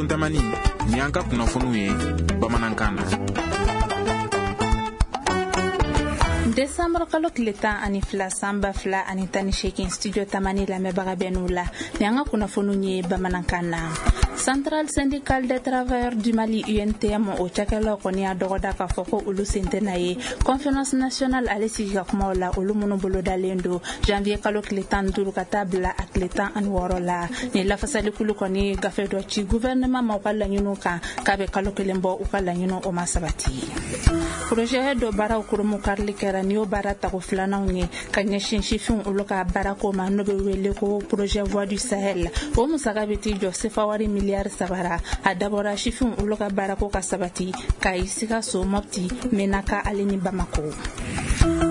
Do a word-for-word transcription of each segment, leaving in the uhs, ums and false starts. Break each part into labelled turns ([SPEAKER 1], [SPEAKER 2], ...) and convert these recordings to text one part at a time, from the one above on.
[SPEAKER 1] Studio Tamani, ni an ka kunnafoniw ye bamanankan na.
[SPEAKER 2] Décembre kalo tile tan ani fila san ba fila ani tan ni seegin, Studio Tamani lamɛnbaga bɛ n'u la, ni an ka kunnafoniw ye bamanankan na. Centrale syndicale des travailleurs du Mali, U N T M, o cakɛlaw kɔni y'a dɔgɔda k'a fɔ ko olu sen tɛna ye conférence nationale ale sigi ka kumaw la, olu minnu bolodalen don janvier kalo tile tan ni duuru ka taa bila a tile tan ani wɔɔrɔ la. Nin lafasalikulu kɔni gafe dɔ ci gouvernement ma u ka laɲiniw kan, k'a bɛ kalo kelen bɔ, u ka laɲiniw o ma sabati. Projet dɔ baaraw kurumu karili kɛra, ni y'o baara tago filananw ye ka ɲɛsin sifinw olu ka baarako ma, n'o bɛ wele ko projet Voix du Sahel. O musaka bɛ t'i jɔ sefa wari miliyari saba ra. A dabɔra sifinw olu ka baarako ka sabati Kayi, Sikaso, Mɔpti, Menaka ale ni Bamako.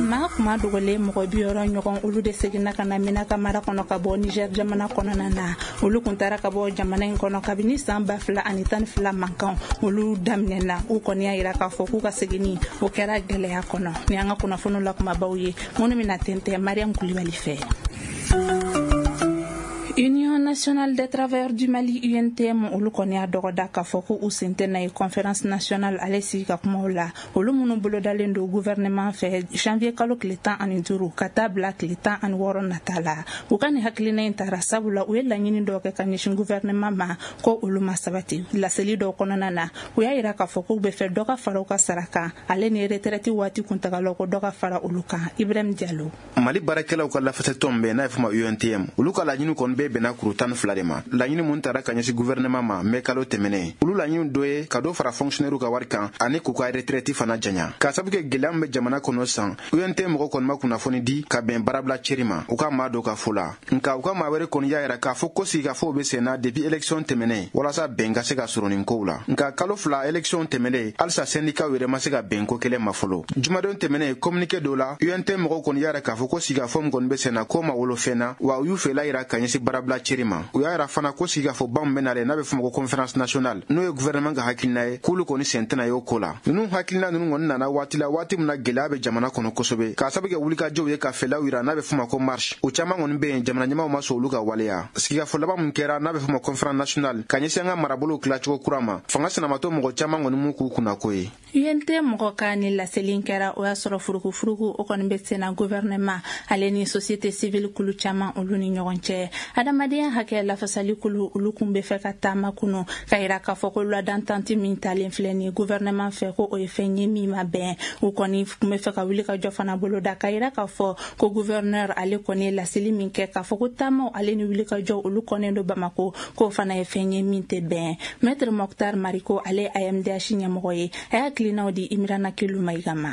[SPEAKER 2] Maa kuma dogolen mɔgɔ bi wɔɔrɔ ɲɔgɔn, olu de seginna ka na Menaka mara kɔnɔ ka bɔ Niger jamana kɔnɔna na. Olu kun taara ka bɔ jamana in kɔnɔ kabini san ba fila ani tan ni fila mankan olu daminɛna. U kɔni y'a yira k'a fɔ k'u ka seginni o kɛra gɛlɛya kɔnɔ. Ni an ka kunnafoniw la kumabaw ye minnu bɛna tɛntɛn Mariam Kulibali fɛ. Union nationale des travailleurs du Mali, U N T M, olu kɔni y'a dɔgɔda k'a fɔ ko u sen tɛna ye conférence nationale ale sigi ka kumaw la, olu minnu bolodalen don gouvernement fɛ janvier kalo tile tan ani duuru ka taa bila tile tan ani wɔɔrɔ nata la. U ka nin hakilina in tara sabula u ye laɲini dɔw kɛ ka ɲɛsin gouvernement ma ko olu ma sabati. Laseli dɔw kɔnɔna na, u y'a yira k'a fɔ k'u bɛ fɛ dɔ ka fara u ka sara kan ale ni retraite waati kuntagalaw, ko dɔ ka fara olu kan. Ibrahim Diallo.
[SPEAKER 3] Mali baarakɛlaw ka lafasɛtɔn bɛ n'a ye fɔ ma U N T M, olu ka laɲini kɔni bɛɛ bɛnna kuru tan ni fila de ma. Laɲini mun tara ka ɲɛsin gouvernement ma mɛ kalo tɛmɛnen, olu laɲini dɔ ye ka dɔ fara fonctionnaire ka wari kan ani k'u ka retraite fana janya. K'a sabu kɛ gɛlɛya min bɛ jamana kɔnɔ san, U N T M mɔgɔ kɔni ma kunnafoni di ka bɛn baarabila ceri ma u ka maa dɔ ka fɔ la. Nka u ka maa wɛrɛ kɔni y'a yira k'a fɔ ko sigikafɔw bɛ sen na depuis élection tɛmɛnen walasa bɛn ka se ka sɔrɔ nin kow la. Nka kalo fila élection tɛmɛnen, halisa syndicat yɛrɛ ma se ka bɛn ko kelen ma fɔlɔ. Jumadon tɛmɛnen, communiqué dɔ la, U N T M mɔgɔw kɔni y'a yira k'a fɔ ko sigikafɔ min kɔni bɛ sen na, k'o ma wolo fɛn na, wa u y'u fɛla yira ka ɲɛsin baarabila ceri ma. U y'a yira fana ko sigikafɔba min bɛ nalen n'a bɛ fɔ ma ko conférence nationale, n'o ye gouvernement ka hakilina ye, k'olu kɔni sen tɛna y'o ko la. Ninnu hakilina ninnu kɔni nana waati la, waati min na gɛlɛya bɛ jamana kɔnɔ kosɛbɛ, k'a sabu kɛ wulikajɔw ye ka fɛlaw yira n'a bɛ fɔ ma ko marche. O caman kɔni bɛ yen, jamana ɲɛmaaw ma sɔn olu ka waleya. Sigikafɔ laban min kɛra n'a bɛ fɔ ma conférence nationale ka ɲɛsin an ka marabolow tilacogo kura ma, fanga sinamatɔ mɔgɔ caman kɔni m'u k'u kunnako ye.
[SPEAKER 2] U N T mɔgɔ ka ni laseli kɛra, o y'a sɔrɔ furukufuruku o kɔni bɛ senna gouvernement ale ni société civile kulu caman olu ni ɲɔgɔn cɛ. Adamadenya hakɛ lafasali kulu, olu kun bɛ fɛ ka taama kunu ka yira k'a fɔ ko loi d'entente min talen filɛ nin gouvernement fɛ, ko o ye fɛn ye min ma bɛn. U kɔni kun bɛ fɛ ka wuli ka jɔ fana boloda ka yira k'a fɔ ko gouverneur ale kɔni ye laseli min kɛ k'a fɔ ko taamaw ale ni wuli ka jɔ olu kɔnnen don Bamako, k'o fana ye fɛn ye min tɛ bɛn. Maître Mokhtar Mariko, ale A M D H ɲɛmɔgɔ ye, a y'a hakilinaw di Imirana Kelu Mayiga ma.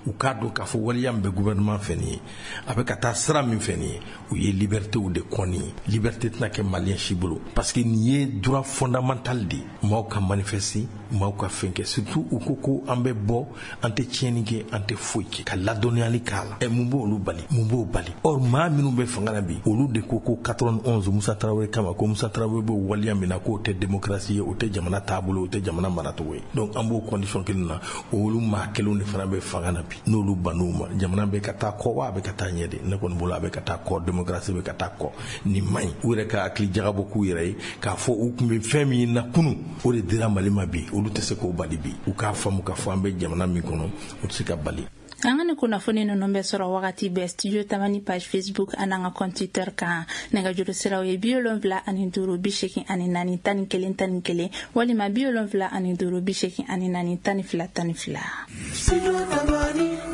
[SPEAKER 4] U k'a dɔn k'a fɔ waleya min bɛ gouvernement fɛ nin ye, a bɛ ka taa sira min fɛ nin ye, u ye libertéw de kɔni ye. Liberté tɛna kɛ malien si bolo, parce que nin ye droit fondamental de ye, maaw ka manifester, maaw ka fɛn kɛ. Surtout u ko ko an bɛ bɔ, an tɛ tiɲɛni kɛ, an tɛ foyi kɛ, ka ladɔnniyali k'a la. Ɛ, mun b'olu bali? Mun b'o bali? Or maa minnu bɛ fanga la bi, olu de ko ko quatre-vingt-onze Musa Tarawele kama, ko Musa Tarawele bɛ waleya min na, k'o tɛ démocratie ye, o tɛ jamana taabolo, o tɛ jamana maracogo ye. Donc an b'o condition kelen na, olu maa kelenw de fana bɛ fanga na bi. N'olu bann'u ma, jamana bɛ ka taa kɔ wa a bɛ ka taa ɲɛ de? Ne kɔni bolo, a bɛ ka taa kɔ, démocratie bɛ ka taa kɔ. Nin man ɲi. U yɛrɛ ka hakili jagabɔ k'u yɛrɛ ye k'a fɔ u tun bɛ fɛn min na kunun, o de dira Mali ma bi, olu tɛ se k'o bali bi. U k'a faamu k'a fɔ an bɛ jamana min kɔnɔ, o tɛ se ka bali.
[SPEAKER 2] An ka ni kunnafoni ninnu bɛ sɔrɔ wagati bɛɛ Studio Tamani page Facebook an'an ka compte Twitter kan. Nɛgɛjuru siraw ye bi wolonfila ani duuru bi seegin ani naani tan ni kelen tan ni kelen walima bi wolonfila ani duuru bi seegin ani naani tan ni fila tan ni fila.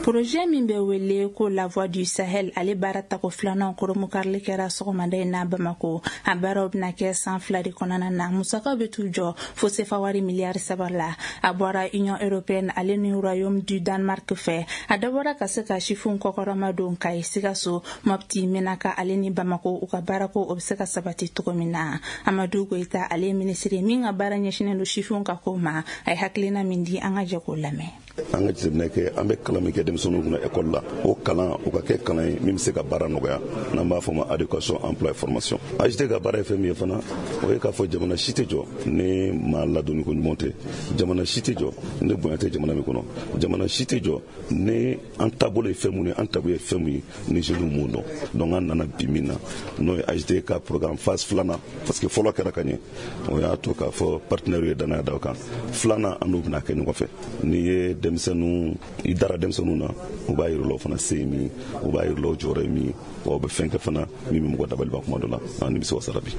[SPEAKER 2] Projet min bɛ wele ko La Voix du Sahel, ale baara tako filanan koromukarili kɛra sɔgɔmada in na Bamako. A baaraw bɛna kɛ san fila de kɔnɔna na. Musakaw bɛ t'u jɔ fo sefa wari miliyari saba la. A bɔra Union européenne ale ni Royaume du Danemark fɛ. A dabɔra ka se ka sifinw kɔkɔrɔma don Kayi, Sikaso, Mɔpti, Menaka ale ni Bamako, u ka baarako o bɛ se ka sabati cogo min na. Amadu Goyita, ale ye minisiri min ka baara ɲɛsinnen don sifinw ka ko ma, a ye hakilina min di, an ka jɛ k'o lamɛn.
[SPEAKER 5] An ka jateminɛ kɛ, an bɛ kalan min kɛ denmisɛnninw kunna ekɔli la, o kalan o ka kɛ kalan ye min bɛ se ka baara nɔgɔya, n'an b'a fɔ ma adéquation emploi et formation. A J T ka baara ye fɛn min ye fana, o ye k'a fɔ jamana si tɛ jɔ ni maa ladonni ko ɲuman tɛ, jamana si tɛ jɔ ni bonya tɛ jamana min kɔnɔ, jamana si tɛ jɔ ni an taabolo ye fɛn mun ye, an taabolo ye fɛn mun ye ni jeunes m'o dɔn. Donc an nana bi min na, n'o ye A J T ka programme phase filanan, parce que fɔlɔ kɛra ka ɲɛ, o y'a to k'a fɔ partenaire ye danaya da o kan. Filanan an n'o bɛna kɛ ɲɔgɔn fɛ. N'i ye denmisɛnninw, i dara denmisɛnninw na, u b'a yir'i la o fana se ye min ye, u b'a yir'i la o jɔyɔrɔ ye min ye, wa u bɛ fɛn kɛ fana min bɛ mɔgɔ dabaliban kuma dɔ la, an nimisi wasara bi.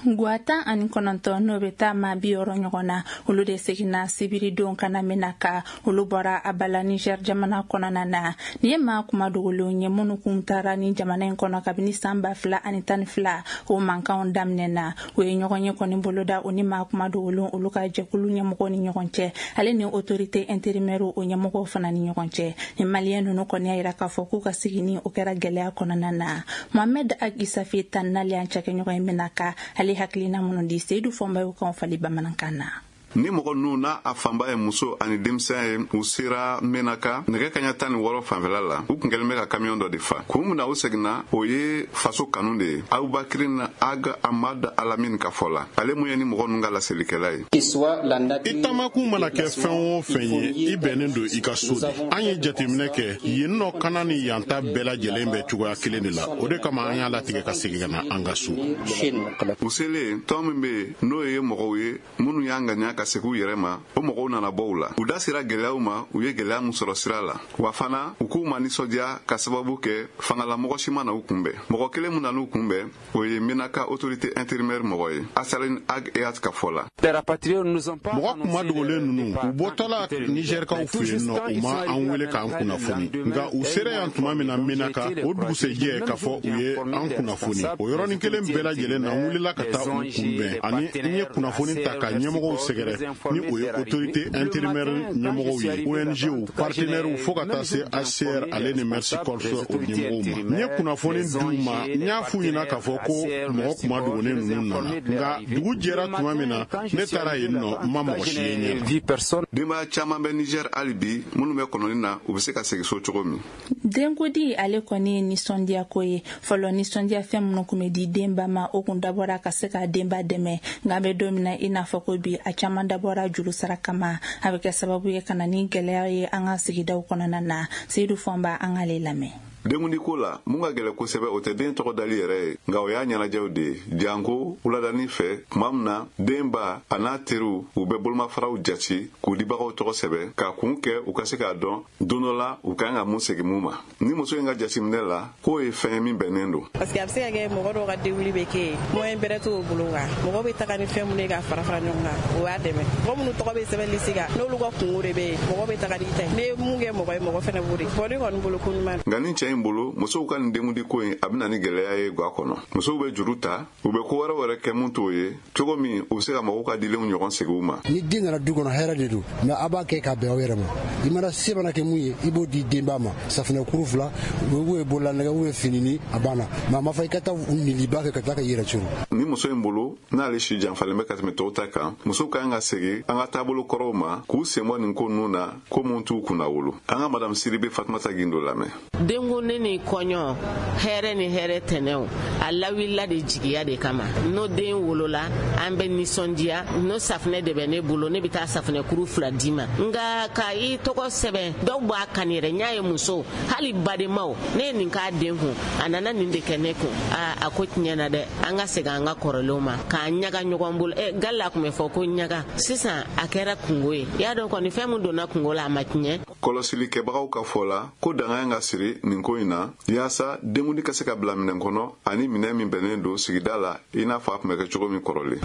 [SPEAKER 2] Gwa tan ani kɔnɔntɔn n'o bɛ taa maa bi wɔɔrɔ ɲɔgɔn na, olu de seginna sibiridon ka na Menaka. Olu bɔra Abala Niger jamana kɔnɔna na. Nin ye maa kuma dogolenw ye minnu kun taara ni jamana in kɔnɔ kabini san ba fila ani tan ni fila o mankanw daminɛ na. O ye ɲɔgɔn ye kɔni boloda o ni maa kuma dogolenw olu ka jɛkulu ɲɛmɔgɔw ni ɲɔgɔn cɛ, ale ni autorité intérimaire o ɲɛmɔgɔw fana ni ɲɔgɔn cɛ. Ni maliyɛn ninnu kɔni y'a yira k'a fɔ k'u ka sigini o kɛra gɛlɛya kɔnɔna na. Mohamed Ag Isafi tan n'ale y'an cakɛɲɔgɔn ye Menaka, ale hakilina minnu di Seydou Fɔnba y'o kan fali bamanankan na.
[SPEAKER 6] Ni mɔgɔ ninnu n'a a fanba ye muso ani denmisɛn ye, u sera Menaka nɛgɛ kaɲa tan ni wɔɔrɔ fanfɛla la. U kun kɛlen bɛ ka kamiyɔn dɔ de fa. Kun min na u seginna, o ye faso kanu de ye. Abubakrin Ag Ahmad Alamine ka fɔ la, ale mun ye ni mɔgɔ ninnu ka laselikɛla ye.
[SPEAKER 7] I taamakun mana kɛ fɛn o fɛn ye, i bɛnnen don i ka so de. An ye jateminɛ kɛ yen nɔ, kana ni yan ta bɛɛ lajɛlen bɛ cogoya kelen de la. O de kama an y'a latigɛ ka segin ka na an ka so.
[SPEAKER 6] U selen, tɔn min bɛ yen n'o ye mɔgɔw ye minnu y'an ŋaniya ka segin u yɛrɛ ma, o mɔgɔw nana bɔ u la. U da sera gɛlɛyaw ma, u ye gɛlɛya min sɔrɔ sira la. Wa fana u k'u ma nisɔndiya ka sababu kɛ fangalamɔgɔ si ma na u kunbɛn. Mɔgɔ kelen min nan'u kunbɛn, o ye Menaka autorité intérimaire mɔgɔ ye, Asalin Ag Eyat ka fɔ la.
[SPEAKER 7] Mɔgɔ kuma dogolen ninnu, u bɔtɔla Nizɛrikaw fɛ yen nɔ, u ma an wele k'an kunnafoni. Nka u sera yan tuma min na Menaka, o dugusɛjɛ k'a fɔ u ye an kunnafoni. O yɔrɔnin kelen bɛɛ lajɛlen na, n wulila ka taa u kunbɛn ani n ye kunnafoni ta ka ɲɛmɔgɔw sɛgɛrɛ, ni o ye autorité intérimaire ɲɛmɔgɔw ye, O N G, partenaires, fo ka taa se H C R ale ni Mercy Corps o ɲɛmɔgɔw ma. N ye kunnafoni d'u ma, n y'a f'u ɲɛna k'a fɔ ko mɔgɔ kuma dogolen ninnu nana. Nka dugu jɛra tuma min na, ne taara yen nɔ, n ma mɔgɔ si ye ɲɛ na.
[SPEAKER 6] Denbaya caman bɛ Niger hali bi minnu bɛ kɔnɔni na, u bɛ se ka segin so cogo min.
[SPEAKER 2] Denkudi ale kɔni ye nisɔndiya ko ye. Fɔlɔ nisɔndiya fɛn minnu kun bɛ di denba ma, o kun dabɔra ka se ka denba dɛmɛ. Nka an bɛ don min na i n'a fɔ ko bi, a caman dabɔra juru sara kama. A bɛ kɛ sababu ye ka na ni gɛlɛya ye an ka sigidaw kɔnɔna na. Seydou Fɔnba, an k'ale lamɛn.
[SPEAKER 6] Denkundi ko la, mun ka gɛlɛ kosɛbɛ, o tɛ den tɔgɔ dali yɛrɛ ye, nka o y'a ɲɛnajɛw de ye. Janko wuladani fɛ, tuma min na den ba a n'a teriw u bɛ bolomafaraw jate k'u dibagaw tɔgɔ sɛbɛn k'a kun kɛ u ka se k'a dɔn don dɔ la u ka kan ka mun segin mun ma. Ni muso in ka jateminɛ la, k'o ye fɛn ye min bɛnnen don.
[SPEAKER 8] Parce que a bɛ se ka kɛ mɔgɔ dɔw ka denwuli bɛ kɛ yen, moyen bɛrɛ t'o bolo kan, mɔgɔ bɛ taga ni fɛn minnu ye ka fara fara ɲɔgɔn kan, o b'a dɛmɛ. Mɔgɔ minnu tɔgɔ bɛ sɛbɛn lisi kan, n'olu ka kungo de bɛ yen, mɔgɔ bɛ taga n'i ta ye. N'i ye mun kɛ mɔgɔ ye, mɔgɔ fana b'o de. Bon, ne kɔni bolo ko ɲuman.
[SPEAKER 6] Nka ni cɛ in bolo, musow ka nin denkundi ko in a bɛ na ni gɛlɛya ye ga kɔnɔ. Musow bɛ juru ta, u bɛ ko wɛrɛ wɛrɛ kɛ mun t'o ye, cogo min u bɛ se ka mɔgɔw ka dilenw ɲɔgɔn segin u ma.
[SPEAKER 9] Ni den nana du kɔnɔ, hɛrɛ de don, mɛ a b'a kɛ ka bɛn aw yɛrɛ ma. I mana se mana kɛ mun ye, i b'o di denba ma. Safunɛkuru fila, u ye bololanɛgɛ, u ye finini, a banna. Mɛ a ma fɔ i ka taa niliba kɛ ka taa ka i yɛrɛ curu.
[SPEAKER 6] Ni muso in bolo, n'ale si janfalen bɛ ka tɛmɛ tɔw ta kan, musow ka kan ka segin an ka taabolo kɔrɔw ma, k'u sen bɔ nin ko ninnu na, ko mun t'u kunna wolo. An ka madame Siribe Fatumata Gindo lamɛn.
[SPEAKER 10] Denkundi ni kɔɲɔ, hɛrɛ ni hɛrɛ tɛnɛw, a lawulila de jigiya de kama. N'o den wolola, an bɛ nisɔndiya. N'o safunɛ de bɛ ne bolo, ne bɛ taa safunɛkuru fila d'i ma. Nka ka i tɔgɔ sɛbɛn, dɔw b'a kan yɛrɛ. N y'a ye muso, hali badenmaw, ne ye nin k'a den kun, a nana nin de kɛ ne kun. Aa, a ko tiɲɛna dɛ, an ka segin an ka kɔrɔlenw ma, k'an ɲaga ɲɔgɔn bolo. Ɛ, gala tun bɛ fɔ ko ɲaga, sisan a kɛra kungo ye. I y'a dɔn kɔni, fɛn min donna kungo la, a ma tiɲɛ.
[SPEAKER 6] Kɔlɔsilikɛbagaw ka fɔ la ko danga ka siri nin ko in na, yaasa denkundi ka se ka bila minɛn kɔnɔ ani minɛn min bɛnnen don sigida la, i n'a fɔ a tun bɛ kɛ cogo min kɔrɔlen.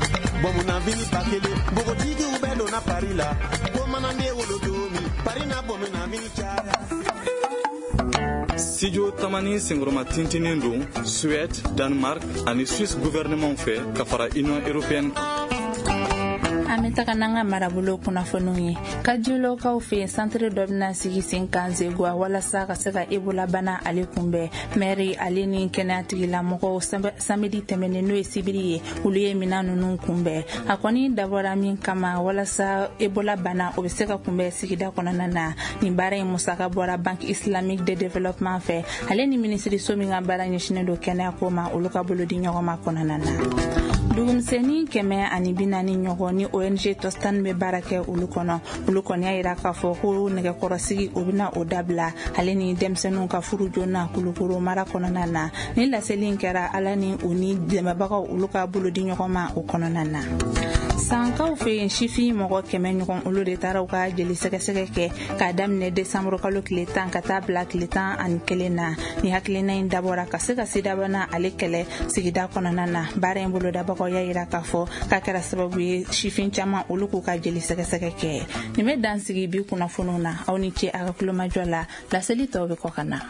[SPEAKER 11] Npogotigiw bɛɛ donna pari la, ko mana ne wolo don min, pari na bɔ min na mini caya.
[SPEAKER 12] Studio Tamani senkɔrɔma tintinin don Suède, Danemark ani Suisse gouvernement fɛ ka fara Union européenne kan.
[SPEAKER 2] An bɛ taga n'an ka marabolo kunnafoniw ye. Kajulokaw fɛ yen, santiri dɔ bɛna sigi sen kan Zeguwa walasa ka se ka Ebola bana ale kunbɛn. Mɛri ale ni kɛnɛya tigilamɔgɔw samedi tɛmɛnen, n'o ye sibiri ye, olu ye minɛn ninnu kunbɛn. A kɔni dabɔra min kama, walasa Ebola bana o bɛ se ka kunbɛn sigida kɔnɔna na. Nin baara in musaka bɔra Banque islamique de développement fɛ, ale ni minisiriso min ka baara ɲɛsinnen don kɛnɛya ko ma, olu ka bolo di ɲɔgɔn ma kɔnɔna na. Dugumisɛnnin kɛmɛ ani bi naani ɲɔgɔn ni O N G Tostan bɛ baara kɛ olu kɔnɔ, olu kɔni y'a yira k'a fɔ ko nɛgɛkɔrɔsigi o bɛna o dabila, ale ni denmisɛnninw ka furu joona Kulukoro mara kɔnɔna na. Ni laseli in kɛra ala ni u ni dɛmɛbagaw olu ka bolo di ɲɔgɔn ma o kɔnɔna na. Sankaw fɛ yen, sifin mɔgɔ kɛmɛ ɲɔgɔn, olu de taara u ka jeli sɛgɛsɛgɛ kɛ k'a daminɛ desanburu kalo tile tan ka taa bila tile tan ani kelen na. Ni hakilina in dabɔra ka se ka sidabana ale kɛlɛ sigida kɔnɔna na. Baara in bolodabagaw y'a yira k'a fɔ k'a kɛra sababu ye sifin caman olu k'u ka jeli sɛgɛsɛgɛ kɛ. Nin bɛ dan sigi bi kunnafoniw na. Aw ni ce a ka kulomajɔ la. Laseli tɔw bɛ kɔ ka na.